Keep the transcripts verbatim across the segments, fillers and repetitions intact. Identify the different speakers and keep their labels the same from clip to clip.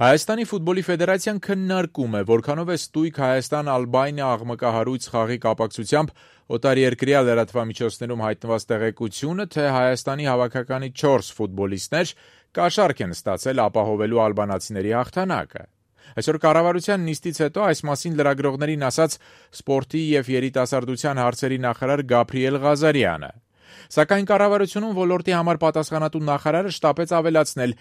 Speaker 1: Հայաստանի ֆուտբոլի ֆեդերացիան քննարկում է, որքանով է ստույգ Հայաստան-Ալբանիա աղմկահարույց խաղի կապակցությամբ օտարերկրյա լրատվամիջոցներում հայտնված տեղեկությունը, թե Հայաստանի հավաքականի չորս ֆուտբոլիստներ կաշառք են ստացել ապահովելու ալբանացիների հաղթանակը։ Այսօր կառավարության նիստից հետո այս մասին լրագրողներին ասաց սպորտի և երիտասարդության հարցերի նախարար Գաբրիել Ղազարյանը։ Սակայն կառավարությունում ոլորտի համար պատասխանատու նախարարը շտապեց ավելացնել,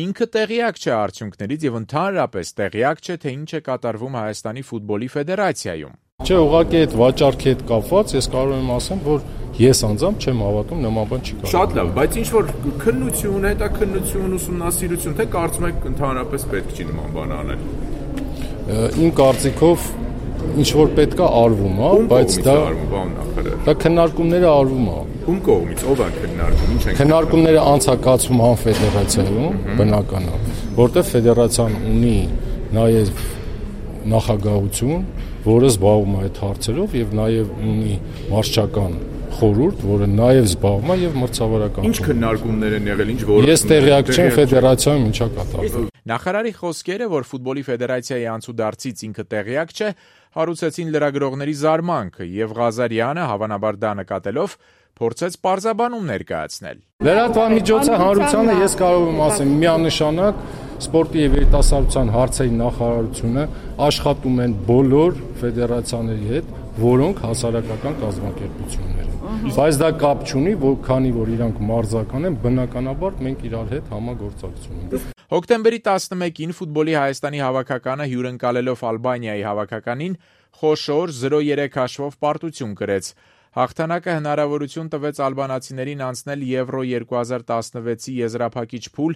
Speaker 1: ինքը տեղյակ չէ արդյունքներից և ընդհանրապես տեղյակ չէ, թե ինչ է կատարվում Հայաստանի ֆուտբոլի ֆեդերացիայում։
Speaker 2: Չէ, ուղղակի այդ վաճառքի հետ կապված ես կարող եմ ասեմ, որ ես անձամբ չեմ հավատում, նման բան չի կարող։
Speaker 3: Շատ լավ, բայց ինչ որ քննություն, հետաքննություն, ուսումնասիրություն, թե կարծում եք ընդհանրապես պետք չի նման բան անել։
Speaker 2: Իմ կարծիքով ինչ որ պետքա արվում, հա, բայց դա դա քննարկումները արվում է։
Speaker 3: Ում կողմից ով է քննարկում, ինչ են
Speaker 2: քննարկումները անցակացվում հան ֆեդերացիայում, բնական է, որտեղ ֆեդերացիան ունի նաև նախագահություն, որը զբաղվում է այդ հարցերով եւ նաև ունի մարշչական խորհուրդ, որը նաև զբաղվում է եւ մրցավարական։
Speaker 3: Ինչ քննարկումներ են եղել, ինչ որոշումներ։
Speaker 2: Ես տեղյակ չեմ ֆեդերացիայում ինչա կատարվում։
Speaker 1: Նախարարի խոսքերը, որ ֆուտբոլի ֆեդերացիայի անցուդարձից ինքը տեղյակ չէ, հարուցեցին լրագրողների զարմանքը, եւ Ղազարյանը, հավանաբար դա նկատելով, փորձեց պարզաբանում ներկայացնել։
Speaker 2: Լրատվամիջոցը հանրությանը ես կարող եմ ասեմ միանշանակ սպորտի եւ երիտասարդության հարցերի նախարարությունը աշխատում են բոլոր ֆեդերացիաների հետ, որոնք հասարակական կազմակերպություններ են։ Բայց դա կապ չունի, որ քանի որ իրանք մարզական են, բնականաբար մենք իրար հետ համագործակցություն ունենք։
Speaker 1: Հոկտեմբերի տասնմեկին ֆուտբոլի Հայաստանի հավաքականը հյուրընկալելով Ալբանիայի հավաքականին խոշոր զրո երեք հաշվով պարտություն կրեց։ Հաղթանակը հնարավորություն տվեց ալբանացիներին անցնել Եվրո երկու հազար տասնվեցի եզրափակիչ փուլ,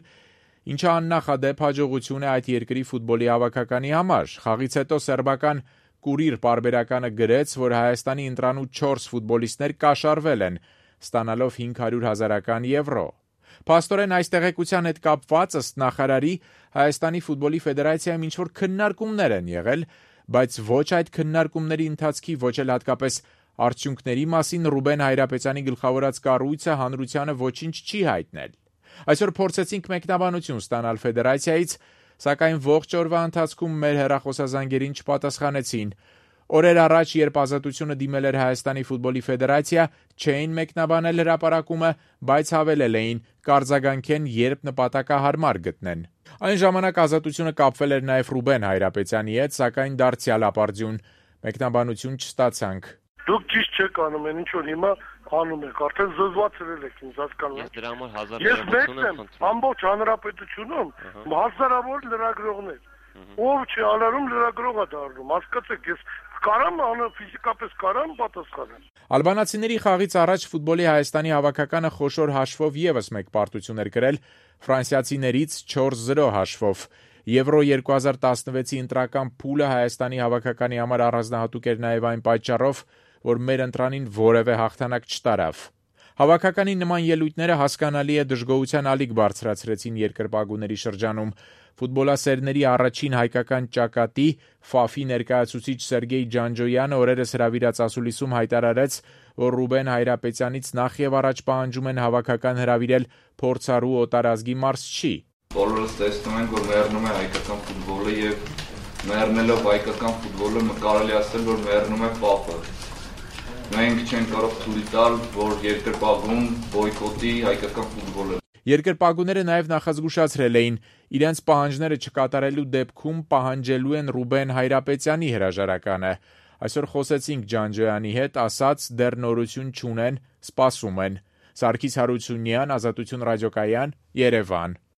Speaker 1: ինչը աննախադեպ հաջողություն է այդ երկրի ֆուտբոլի հավաքականի համար։ Խաղից հետո սերբական Կուրիր պարբերականը գրեց, որ Հայաստանի ընտրանուց չորս ֆուտբոլիստներ կաշառվել են, ստանալով հինգ հարյուր հազարական եվրո։ Փաստորեն այս տեղեկության հետ կապված ըստ նախարարի Հայաստանի ֆուտբոլի ֆեդերացիայում ինչ-որ քննարկումներ են եղել, բայց ոչ այդ քննարկումների ընթացքի, ոչ էլ հատկապես արդյունքների մասին Ռուբեն Հայրապետյանի գլխավորած կառույցը հանրությանը ոչինչ չի հայտնել։ Այսօր փորձեցինք մեկնաբանություն ստանալ ֆեդերացիայից, սակայն ողջ օրվա ընթացքում մեր հեռախոսազանգերին չպատասխանեցին։ Օրեր առաջ, երբ Ազատությունը դիմել էր Հայաստանի ֆուտբոլի ֆեդերացիա, չէին մեկնաբանել հրապարակումը, բայց հավելել էին կարձագանքեն, երբ նպատակահարմար գտնեն։ Այն ժամանակ Ազատությունը կապվել էր նաև Ռուբեն Հայրապետյանի հետ, սակայն դարձյալ ապարդյուն մեկնաբանություն չստացանք։
Speaker 4: Դուք ճիշտ չեք անում, այն ինչ որ հիմա անում եք, արդեն զզվացրել եք ինձ, հասկանում եք։
Speaker 5: Ես դրա համար հազար
Speaker 4: Ես մեկն եմ, ամբողջ հանրապետությունում հազարավոր լրագրողներ, ով չի ալարում լրագրող է դառնում, հասկացեք, ես կարամ անը ֆիզիկապես կարամ պատասխանել։
Speaker 1: Ալբանացիների խաղից առաջ ֆուտբոլի Հայաստանի հավաքականը խոշոր հաշվով եւս մեկ պարտություն էր կրել ֆրանսիացիներից չորս զրո հաշվով։ Եվրո երկու հազար տասնվեցի ընտրական փուլը Հայաստանի հավաքականի համար առանձնահատուկ էր նաև այն պատճառով, որ մեր ընտրանին որևէ հաղթանակ չտարավ։ Հավաքականի նման ելույթները հասկանալի է դժգոհության ալիք բարձրացրեցին երկրպագուների շրջանում։ Ֆուտբոլասերների առաջին հայկական ճակատի Ֆաֆի ներկայացուցիչ Սերգեյ Ջանջոյանը օրերս հրավիրած ասուլիսում հայտարարեց, որ Ռուբեն Հայրապետյանից նախ եւ առաջ պահանջում են հավաքական հրավիրել փորձառու օտարազգի մարզչի։
Speaker 6: Բոլորս տեսնում ենք, որ մեռնում է հայկական ֆուտբոլը եւ մեռնելով հայկական ֆուտբոլը կարելի ասել, որ մեռնում է Ֆաֆը։ Մենք չենք կարող թույլ տալ, որ երկրպագուն բոյկոտի հայկական ֆուտբոլը։
Speaker 1: Երկրպագուները նաև նախազգուշացրել էին, իրենց պահանջները չկատարելու դեպքում պահանջելու են Ռուբեն Հայրապետյանի հրաժարականը։ Այսօր խոսեցինք Ջանջոյանի հետ, ասաց դեռ նորություն չունեն, սպասում են։ Սարգիս Հարությունյան, Ազատություն ռադիոկայան, Երևան։